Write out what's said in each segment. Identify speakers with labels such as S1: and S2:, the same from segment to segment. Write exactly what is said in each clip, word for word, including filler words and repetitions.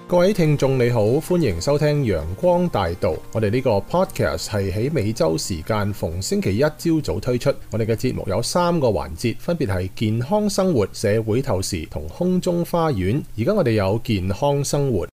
S1: 各位聽眾你好，歡迎收聽陽光大道。我哋呢個 podcast 係喺美洲時間逢星期一朝早推出。我哋嘅節目有三個環節，分別係健康生活、社會透視同空中花園。而家我哋有健康生活。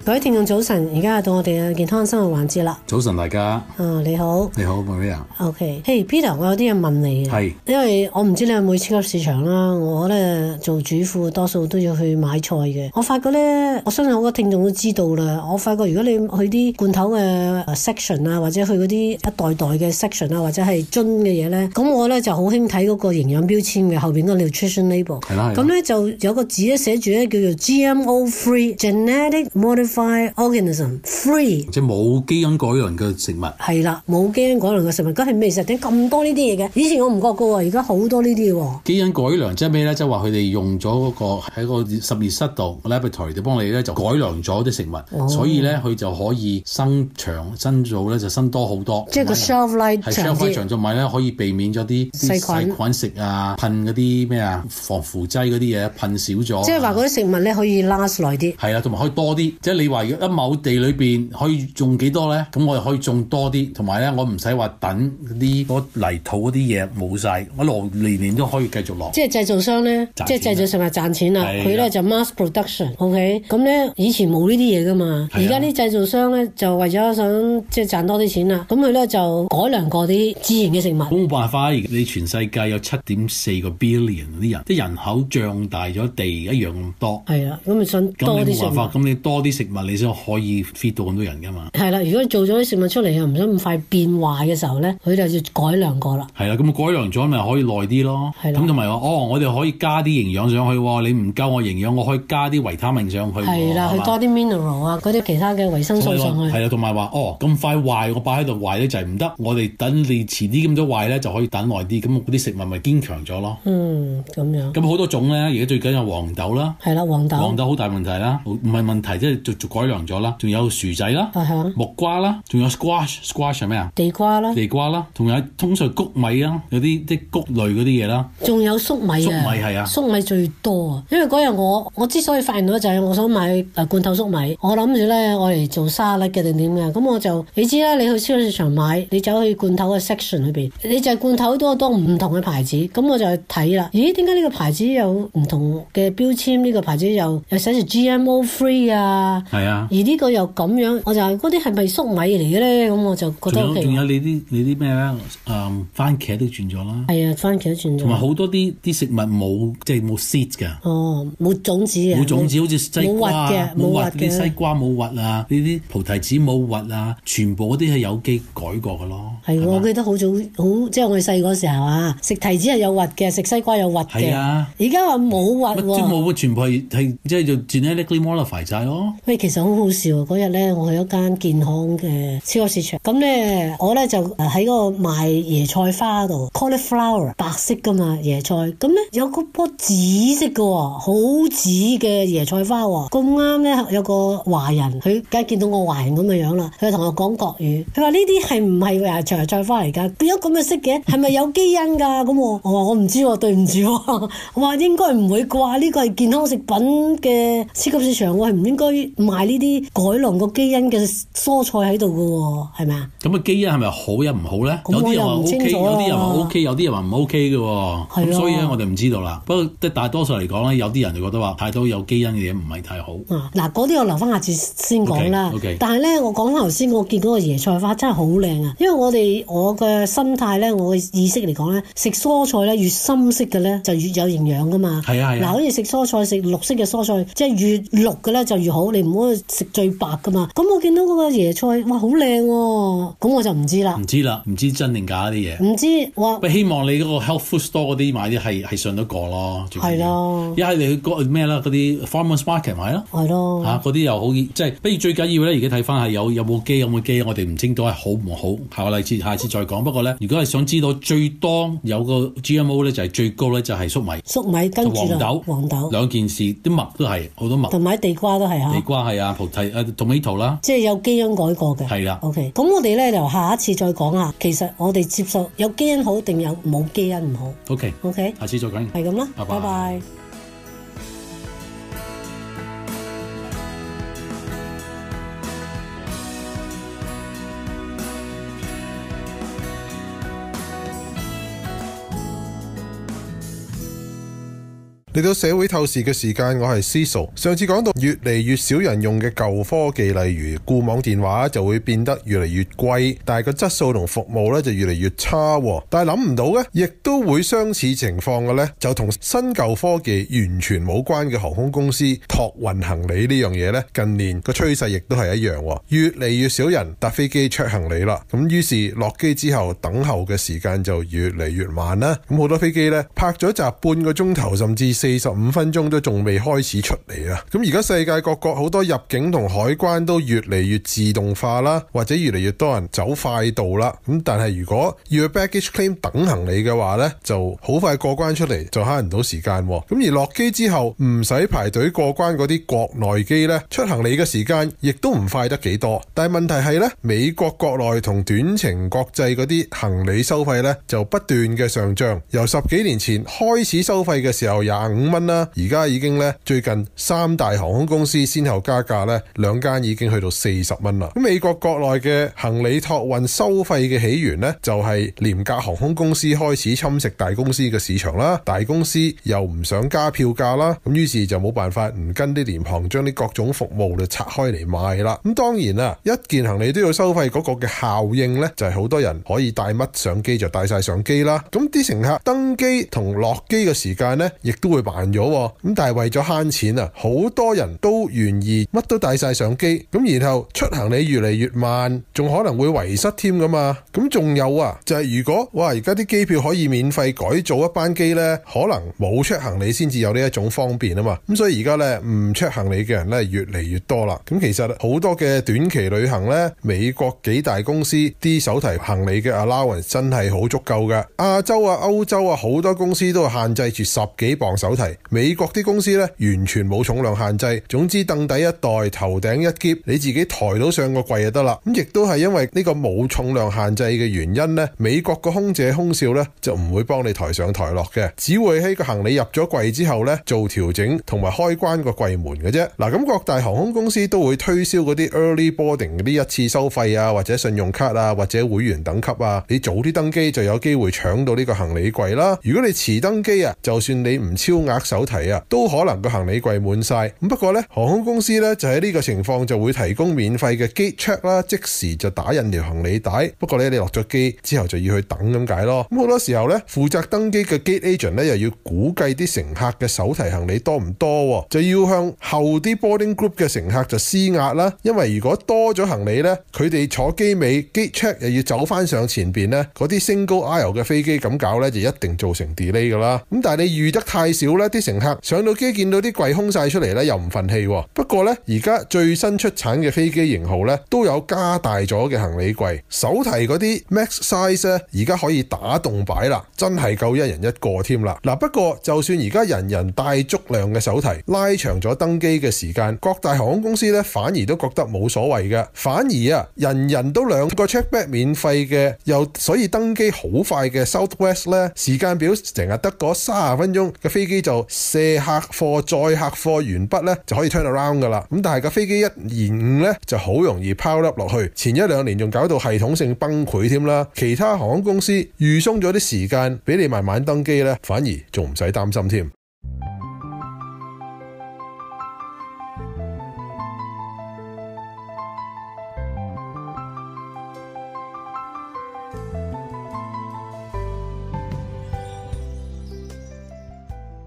S2: 各位聽眾早晨，而家到我哋嘅健康生活環節啦。
S3: 早晨大家。
S2: 啊，你好。
S3: 你好 Maria。
S2: OK，嘿、hey, Peter，我有啲嘢問你嘅。係。因為我唔知你有冇超級市場啦，我咧做主婦多數都要去買菜嘅。我發覺咧，我相信好多聽眾都知道啦。我發覺如果你去啲罐頭嘅 section 啊，或者去嗰啲一袋袋嘅 section 啊，或者係樽嘅嘢咧，咁我咧就好興睇嗰個營養標籤嘅後邊嗰個 nutrition label。係啦。咁咧就有個字咧寫住咧叫做 G M O free genetic modified organism free，
S3: 即係冇基因改良嘅食物。係
S2: 啦，冇基因改良嘅食物，咁係咩實點咁多呢啲嘢嘅？以前我唔覺噶喎，而家好多呢啲喎。
S3: 基因改良即係咩咧？即係話佢哋用咗嗰個喺個實驗室度 laboratory 就幫你咧就改良咗啲食物，哦、所以咧佢就可以生長生造咧就生多好多。即係個 shelf life 長啲。係 shelf life 長咗咪咧可以避免咗啲細菌細菌食啊，噴嗰啲咩啊防腐劑嗰啲嘢噴少咗。即係話嗰啲食物咧可以 last 耐啲。係啊，同埋可以多啲。即係你話如果一畝地裏邊可以種幾多咧？咁我哋可以種多啲，同埋咧我唔使話等啲嗰泥土嗰啲嘢冇晒，我落年年都可以繼續落。即係製造商咧，即係製造食物賺錢啦。佢咧就 mass production，OK， 咁咧以前冇呢啲嘢噶嘛，而家啲製造商咧就為咗想即係賺多啲錢啦，咁佢咧就改良過啲自然嘅食物。咁冇辦法，你全世界有七點四個 billion 啲人，即係人口脹大咗，地一樣咁多。係啦，咁咪想多啲食物。咁你冇辦法，咁你多啲食物，你先可以 feed 到咁多人噶嘛。係啦，如果你做咗啲食物出嚟又唔想咁快變壞嘅時候咧，佢就要改良過啦。係啦，咁改良咗咪可以耐啲咯。係啦，咁同埋話哦，我哋可以加啲營養上去喎。你唔夠我營養，我可以加啲維他命上去。係啦，去多啲 mineral 啊，嗰啲其他嘅維生素上去。係啦，同埋話哦，咁快壞，我擺喺度壞咧就係唔得。我哋等你遲啲咁多壞咧，就可以等耐啲。咁嗰啲食物咪堅強咗咯。嗯，咁樣。咁好多種咧，而家最緊有黃豆啦。係啦，黃豆。黃豆好大問題啦，唔係問題，即係就就改良咗啦。仲有薯仔啦，木瓜啦，仲有 squash，squash 係咩啊？地瓜啦，地瓜啦，仲有通常穀米啊，有啲啲穀類嗰啲嘢啦。仲有粟米啊，粟米係啊，粟米最多啊。因為嗰日我我之所以發現到就係我想買誒罐頭粟米，我諗住咧我嚟做沙律嘅定點嘅，咁我就你知啦，你去超級市場買，你走去罐頭嘅 section 裏邊，你就係罐頭都多唔同嘅牌子，咁我就去睇啦。咦，點解呢個牌子有唔同嘅標籤？呢個牌子又又寫住 G M O free 啊？係啊，而呢個又咁樣，我就係嗰啲係咪粟米嚟嘅咧？咁我就覺得仲有仲有你啲你啲咩咧？誒，番茄都轉咗啦。係啊，番茄都轉咗。同埋好多啲啲食物冇即係冇 seed 㗎。哦，冇種子啊。冇種子，好似西瓜啊，冇核嘅。啲西瓜冇核啊，呢啲菩提子冇核啊，全部嗰啲係有機改過㗎咯。係，我記得好早好，即係我哋細個時候啊，食提子係有核嘅，食西瓜有核嘅。係啊。而家話冇核喎。即係冇，全部係係即係就 genetically modified 曬咯。喂，其實好好笑啊！嗰日咧，我去一間健康嘅超級市場，咁咧我咧就喺嗰個賣椰菜花度 ，cauliflower 白色噶嘛椰菜，咁咧有嗰棵紫色嘅喎，好紫嘅椰菜花喎，咁啱咧有個華人，佢梗係見到我華人咁嘅樣啦，佢同我講國語，佢話呢啲係唔係椰菜菜花嚟㗎？點解咁嘅色嘅？係咪有基因㗎？咁我我話我唔知喎，對唔住喎，我話應該唔會啩？呢個係健康食品嘅超級市場，我係唔應該賣呢啲改良個基因嘅蔬菜喺度㗎喎，係咪啊？咁啊基因係咪好又唔好咧？有啲人話 O K， 有啲人話 O K， 有啲人話唔 O K 嘅喎。咁所以咧我哋唔知道啦。不過即係大多數嚟講咧，有啲人就覺得話太多有基因嘅嘢唔係太好。嗱，嗰啲我留翻下次先講啦。Okay, okay. 但係咧，我講翻頭先，我見嗰個椰菜花真係好靚啊！因為我哋我嘅心態咧，我嘅意識嚟講咧，食蔬菜咧越深色嘅咧就越有營養噶嘛。係啊係啊。嗱，好似食蔬菜食綠色嘅蔬菜，即係越綠嘅咧就越好，你唔好食最白噶嘛。咁我見到嗰個椰菜，哇，好靚喎！咁我就唔知啦。唔知啦，唔知真定假啲嘢。唔知哇！希望你嗰個 health food store 嗰啲買啲係係信得過咯。係咯。一係你去嗰咩啦？嗰啲 farmers market 買咯。係咯。嚇，嗰啲又好，即係不如最緊要咧，而家睇翻係有有冇機有冇機，我哋唔清楚係好唔好。下個例子下次再講。不過咧，如果係想知道最多有個 G M O 咧，就係最高咧，就係粟米。粟米跟住黃豆，黃豆兩件事，啲麥都係好多麥。同埋地瓜都係嚇。地瓜係啊，葡萄誒 tomato 啦，
S2: 即係有基因改過嘅。
S3: 係啊。
S2: OK， 咁我哋咧就下一次再講下，其實我哋接受有基因好定有冇基因唔好。
S3: OK
S2: OK，
S3: 下次再講。
S2: 係咁啦，
S3: 拜拜。
S2: 拜拜。
S1: 嚟到社會透視嘅時間，我係 Cecil。上次講到越嚟越少人用嘅舊科技，例如固網電話就會變得越嚟越貴，但係個質素同服務咧就越嚟越差。但係諗唔到咧，亦都會相似情況嘅咧，就同新舊科技完全冇關嘅航空公司託運行李呢樣嘢咧，近年個趨勢亦都係一樣，越嚟越少人搭飛機 check 行李啦。咁於是落機之後等候嘅時間就越嚟越慢啦。咁好多飛機咧泊咗閘半個鐘頭，甚至四十五分鐘都仲未開始出嚟啊！咁而家世界各國好多入境同海關都越嚟越自動化啦，或者越嚟越多人走快道啦。咁但係如果要 baggage claim 等行李嘅話呢，就好快過關出嚟，就慳唔到時間。咁而落機之後唔使排隊過關嗰啲國內機呢，出行李嘅時間亦都唔快得幾多。但係問題係呢，美國國內同短程國際嗰啲行李收費呢，就不斷嘅上漲，由十幾年前開始收費嘅時候廿五蚊啦，而家已經咧最近三大航空公司先後加價咧，兩間已經去到四十蚊啦。咁美國國內嘅行李託運收費嘅起源呢，就係廉價航空公司開始侵蝕大公司嘅市場啦，大公司又唔想加票價啦，咁於是就冇辦法唔跟啲廉航將啲各種服務就拆開嚟賣啦。咁當然啦，一件行李都要收費嗰個嘅效應呢，就係好多人可以帶乜上機就帶晒上機啦。咁啲乘客登機同落機嘅時間呢，亦都會慢咗。咁但係為咗慳錢啊，好多人都願意乜都帶晒上機，咁然後出行李越嚟越慢，仲可能會遺失添噶嘛。咁仲有啊，就係如果哇而家啲機票可以免費改造一班機呢，可能冇 check 行李先至有呢一種方便啊嘛。咁所以而家呢，唔 check 行李嘅人呢越嚟越多啦。咁其實好多嘅短期旅行呢，美國幾大公司啲手提行李嘅 allowance 真係好足夠噶。亞洲啊、歐洲啊，好多公司都限制住十幾磅手提。美國啲公司咧完全冇重量限制，總之凳底一袋，頭頂一篋，你自己抬到上個櫃就得啦。咁亦都係因為呢個冇重量限制嘅原因咧，美國個空姐空少咧就唔會幫你抬上抬落嘅，只會喺個行李入咗櫃之後咧做調整同埋開關個櫃門嘅啫。嗱，咁各大航空公司都會推銷嗰啲 early boarding 嗰啲一次收費啊，或者信用卡啊，或者會員等級啊，你早啲登機就有機會搶到呢個行李櫃啦。如果你遲登機啊，就算你唔超額手提啊，都可能個行李櫃滿晒。咁不過呢，航空公司呢就喺呢個情況就會提供免費嘅 gate check 啦，即時就打印條行李帶。不過呢，你落咗機之後就要去等咁解咯。咁好多時候呢，負責登機嘅 gate agent 呢又要估計啲乘客嘅手提行李多唔多，就要向後啲 boarding group 嘅乘客就施壓啦。因為如果多咗行李呢，佢哋坐機尾 gate check 又要走翻上前邊呢，嗰啲 single aisle 嘅飛機咁搞呢，就一定造成 delay 噶啦。咁但係你預得太少呢，啲乘客上到機見到啲櫃空晒出嚟呢，又唔忿氣。不過呢，而家最新出產嘅飛機型號呢，都有加大咗嘅行李櫃，手提嗰啲 max size 呢，而家可以打洞擺啦，真係夠一人一個添啦。嗱，不過就算而家人人帶足量嘅手提，拉長咗登機嘅時間，各大航空公司呢反而都覺得冇所謂嘅，反而啊，人人都兩個 check bag 免費嘅，又所以登機好快嘅 Southwest 呢，時間表成日得嗰三十分鐘嘅飛機就卸客貨載客貨完畢呢，就可以 turn around 噶啦。咁但係個飛機一延誤呢，就好容易拋粒落去，前一兩年仲搞到系統性崩潰添啦。其他航空公司預鬆咗啲時間俾你慢慢登機呢，反而仲唔使擔心添。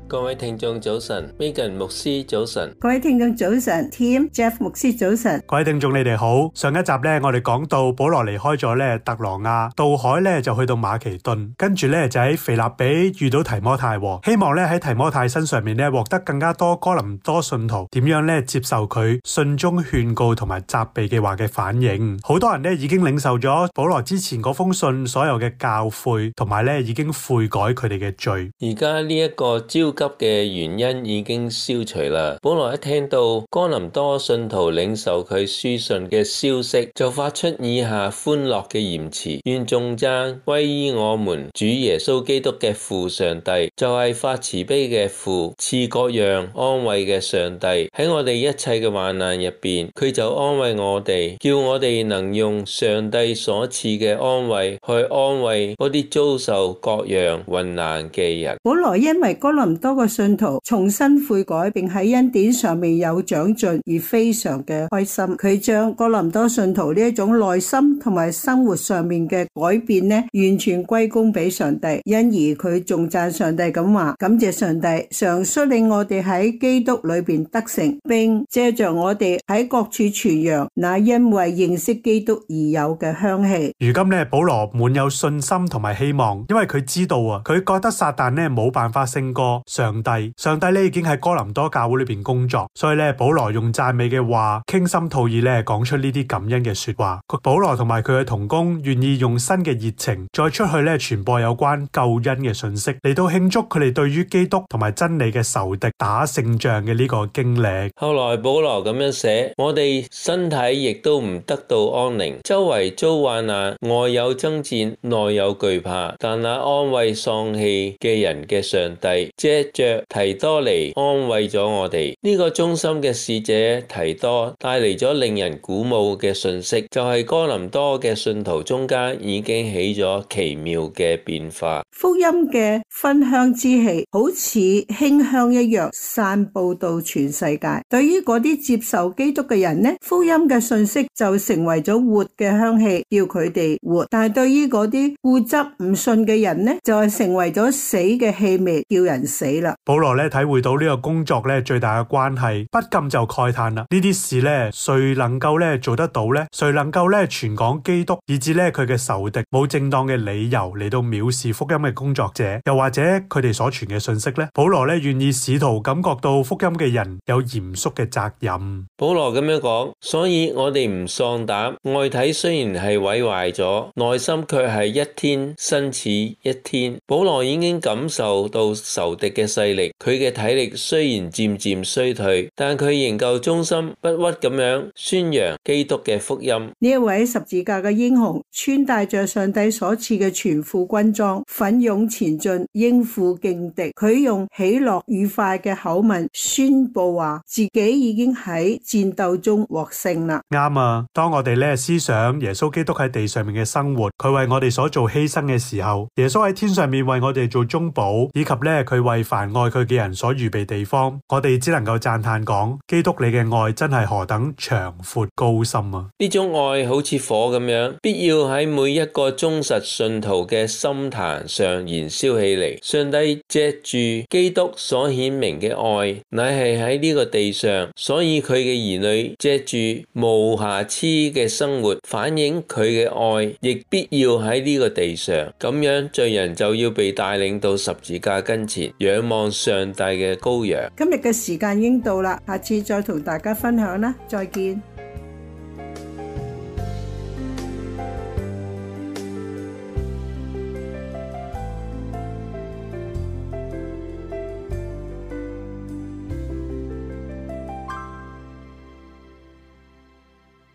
S4: 各位聽眾早晨 ，Megan 牧師早晨，
S5: 各位聽眾早晨 ，Tim Jeff 牧師早晨，
S6: 各位聽眾你哋好。上一集咧，我哋講到保羅離開咗咧特羅亞，渡海咧就去到馬其頓，跟住咧就喺腓立比遇到提摩太，希望咧喺提摩太身上面咧獲得更加多哥林多信徒點樣咧接受佢信中勸告同埋責備嘅話嘅反應。好多人咧已經領受咗保羅之前嗰封信所有嘅教誨，同埋咧已經悔改佢哋嘅罪。
S4: 而家呢一個焦急嘅原因已經消除啦。保羅一聽到哥林多信徒領受佢書信嘅消息，就發出以下歡樂嘅言辭：願頌讚歸於我們主耶穌基督嘅父上帝，就係發慈悲嘅父，賜各樣安慰嘅上帝。喺我哋一切嘅患難入邊，佢就安慰我哋，叫我哋能用上帝所賜嘅安慰去安慰嗰啲遭受各樣患難嘅人。
S5: 保羅因為哥林多嘅信徒重新悔改，並喺恩典上面有長進而非常嘅開心。佢將哥林多信徒呢一種內心同埋生活上面嘅改變呢，完全歸功俾上帝，因而佢仲讚上帝咁話：感謝上帝，常率領我哋喺基督裏邊得勝，並借着我哋喺各處傳揚那因為認識基督而有嘅香氣。
S6: 如今咧，保羅滿有信心同埋希望，因為佢知道啊，佢覺得撒旦咧冇辦法勝過上帝。上帝咧已經喺哥林多教會裏邊工作，所以咧保羅用讚美嘅話，傾心吐意咧講出呢啲感恩嘅說話。保羅同埋佢嘅同工願意用新嘅熱情，再出去咧傳播有關救恩嘅信息，嚟到慶祝佢哋對於基督同埋真理嘅仇敵打勝仗嘅呢個經歷。
S4: 後來保羅咁樣寫：我哋身體亦都唔得到安寧，周圍遭患難，外有爭戰，內有懼怕。但那安慰喪氣嘅人嘅上帝，借着提多嚟安慰咗我哋。呢、這個忠心嘅使者提多帶嚟咗令人鼓舞嘅信息，就係、是、哥林多嘅信徒中間已經起咗奇妙嘅變化。
S5: 福音嘅芬香之氣好似馨香一樣散布到全世界。對於嗰啲接受基督嘅人呢，福音嘅信息就成為咗活嘅香氣，叫佢哋活。但係對於嗰啲固執唔信嘅人呢，就係成為咗死嘅氣味，叫人死啦。
S6: 保羅咧體會到呢個工作咧最大嘅關係，不禁就慨嘆啦：呢啲事咧，誰能夠咧做得到呢？誰能夠咧傳講基督，以致咧佢嘅仇敵冇正當嘅理由嚟到藐視福音嘅工作者，又或者佢哋所傳嘅信息呢？保羅咧願意使徒感覺到福音嘅人有嚴肅嘅責任。
S4: 保羅咁樣講，所以我哋唔喪膽，外體雖然係毀壞咗，內心卻係一天新似一天。保羅已經感受到仇敵嘅勢力，佢嘅體力雖然漸漸衰退，但佢仍舊忠心不屈咁樣宣揚基督嘅福音。
S5: 呢一位十字架嘅英雄，穿戴着上帝所賜嘅全副軍裝，奮勇前進，應付勁敵。佢用喜樂愉快嘅口吻宣布話自己已經喺戰鬥中獲勝啦。
S6: 啱啊！當我哋咧思想耶穌基督喺地上面嘅生活，佢為我哋所做犧牲嘅時候，耶穌喺天上面為我哋做中保，以及咧佢為凡愛佢嘅人所預備地方，我哋只能夠讚嘆講：基督你嘅愛真係何等長闊高深啊！
S4: 呢種愛好似火咁樣，必要喺每一個忠實信徒嘅心壇上燃燒起嚟。上帝借住基督所顯明嘅愛，乃係喺呢個地上，所以佢嘅兒女借住無瑕疵嘅生活，反映佢嘅愛，亦必要喺呢個地上。咁樣罪人就要被帶領到十字架跟前，仰望上帝嘅羔羊。
S5: 今日嘅時間已經到啦，下次再同大家分享啦，再見。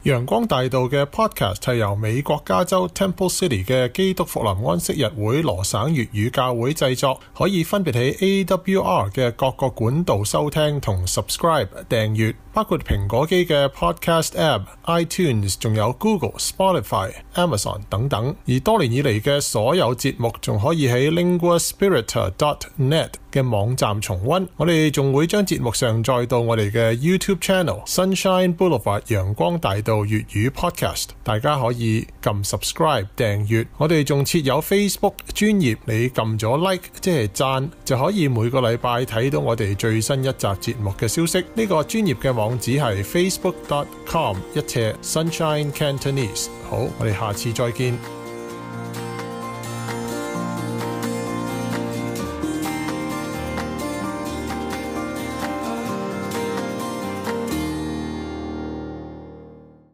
S1: 陽光大道嘅 podcast 係由美國加州 Temple City 嘅基督復臨安息日會羅省粵語教會製作，可以分別喺 A W R 嘅各個管道收聽同 subscribe 訂閱，包括蘋果機嘅 podcast app、iTunes， 仲有 Google、Spotify、Amazon 等等。而多年以嚟嘅所有節目仲可以喺 linguaspiritor dot net 嘅網站重溫。我哋仲會將節目上載到我哋嘅 YouTube channel Sunshine Boulevard 陽光大道粵語 podcast， 大家可以撳 subscribe 訂閱。我哋仲設有 Facebook 專頁，你撳咗 like 即係讚，就可以每個禮拜睇到我哋最新一集節目嘅消息。呢、這個專頁嘅網址係 facebook dot com 一斜 Sunshine Cantonese。好，我哋下次再見。